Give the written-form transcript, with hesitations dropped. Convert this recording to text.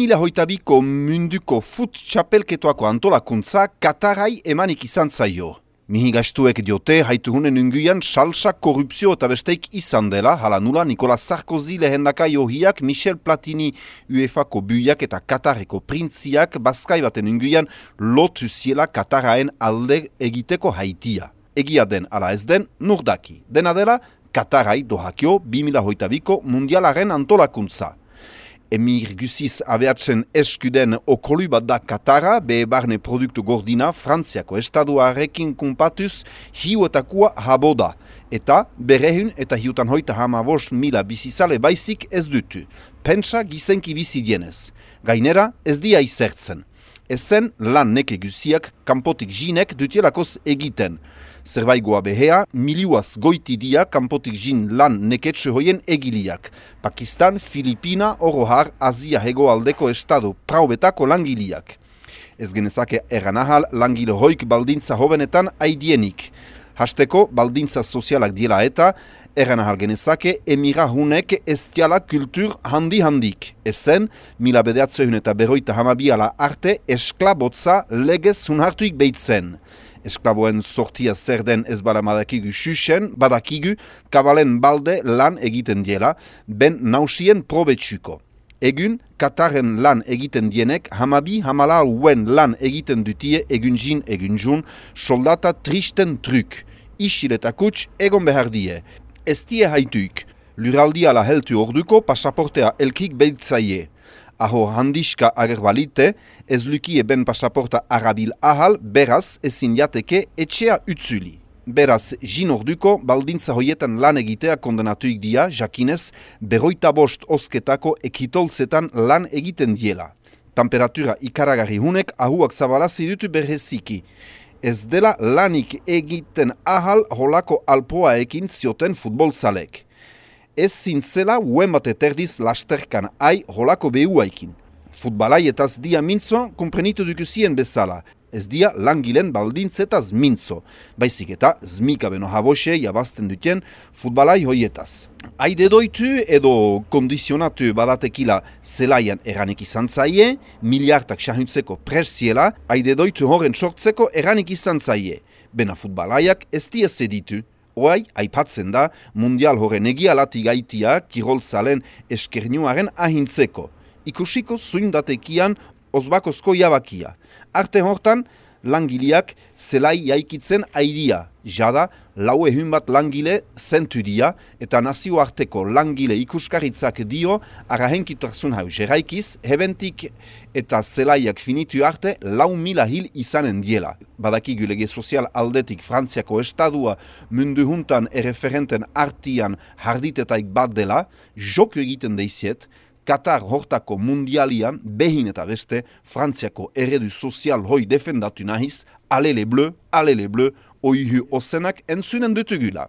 2022ko munduko fut txapelketoako antolakuntza Katarai emanik izan zaio. Mihigastuek diote haituhunen unguian salsa, korrupzio eta besteik izan dela, hala nula Nicolas Sarkozy lehendakai ohiak, Michel Platini UEFA-ko buiak eta Katareko printziak Baskai baten unguian lotu ziela Kataraen alde egiteko haitia. Egia den ala ez den, nurdaki. Dena dela, Katarai dohakio 2022ko mundialaren antolakuntza. Emir guziz abeatzen eskuden okolu bat da Katara, be barne produktu gordina Frantziako estaduarekin kumpatuz hiuetakua haboda. Eta berehun eta hiutan hoita hamabost mila bizizale baizik ez dutu. Pentsa gizenki bizidienez. Gainera ez dia izertzen. Ezen lan neke guziak kanpotik jinek dutielakoz egiten. Zerbaigoa behea, miliuaz goiti dia kanpotik jin lan neketxe hoien egiliak. Pakistan, Filipina, Orohar, Azia hegoaldeko estado praubetako langiliak. Ez genezake erranahal langile hoik baldintza hobenetan aidienik. Hasteko baldintza sozialak diela eta erranahal genezake emirahunek ez diala kultur handi-handik. Ezen, mila bedeatzehun eta berroita hamabiala arte esklabotza legez hunhartuik behitzen. Esklaboen sortia zer den ez badakigu xuxen, badakigu kabalen balde lan egiten diela, ben nausien probetsuko. Egun, Kataren lan egiten dienek, hamala uen lan egiten dutie egunjin egunjun, soldata tristen truk. Isil eta kuts egon behar die. Ez die haituik. Luraldiala heltu orduko pasaportea elkik behitzaie. Aho handiska agerbalite, ez lukie ben pasaporta arabil ahal, beraz ezin jateke etxea utzuli. Beraz, jin orduko, baldintza hoietan lan egitea kondenatuik dia, jakinez, 25 osketako ekitolzetan lan egiten diela. Temperatura ikaragarri hunek ahuak zabalazi dutu berreziki. Ez dela lanik egiten ahal holako alpoaekin zioten futbolzalek. Ez zintzela uen bat eterdiz lasterkan ai holako behuaikin. Futbalai etaz dia mintzo, komprenitu dukuzien bezala. Ez dia langilen baldintzetaz mintzo. Baizik eta zmika beno habose jabazten duten futbalai hoietaz. Aide doitu edo kondizionatu badatekila zelaian eranik izan zaie, miliardak xahuntzeko presiela, aide doitu horren sortzeko eranik izan zaie. Bena futbalaiak ez dia zeditu. Oai, aipatzen da, mundial horren egialati gaitia kirolzalen eskernuaren ahintzeko. Ikusiko zuindatekian ozbakozko jabakia. Arte hortan, langileak zelai jaikitzen aidia. Jada, lau ehun bat langile zentu dia, eta nazioarteko langile ikuskaritzak dio, arahenkitarsun hau jeraikiz, hebentik eta zelaiak finitu arte 4.000 hil izanen diela. Badakigu lege sozial aldetik Frantziako estadua mundu juntan erreferenten artian harditetaik bat dela, joko egiten deiziet, Katar hortako mundialian, behin eta beste, Frantziako eredu sozial hoi defendatu nahiz, alele bleu, oihu ozenak entzunen dutugula.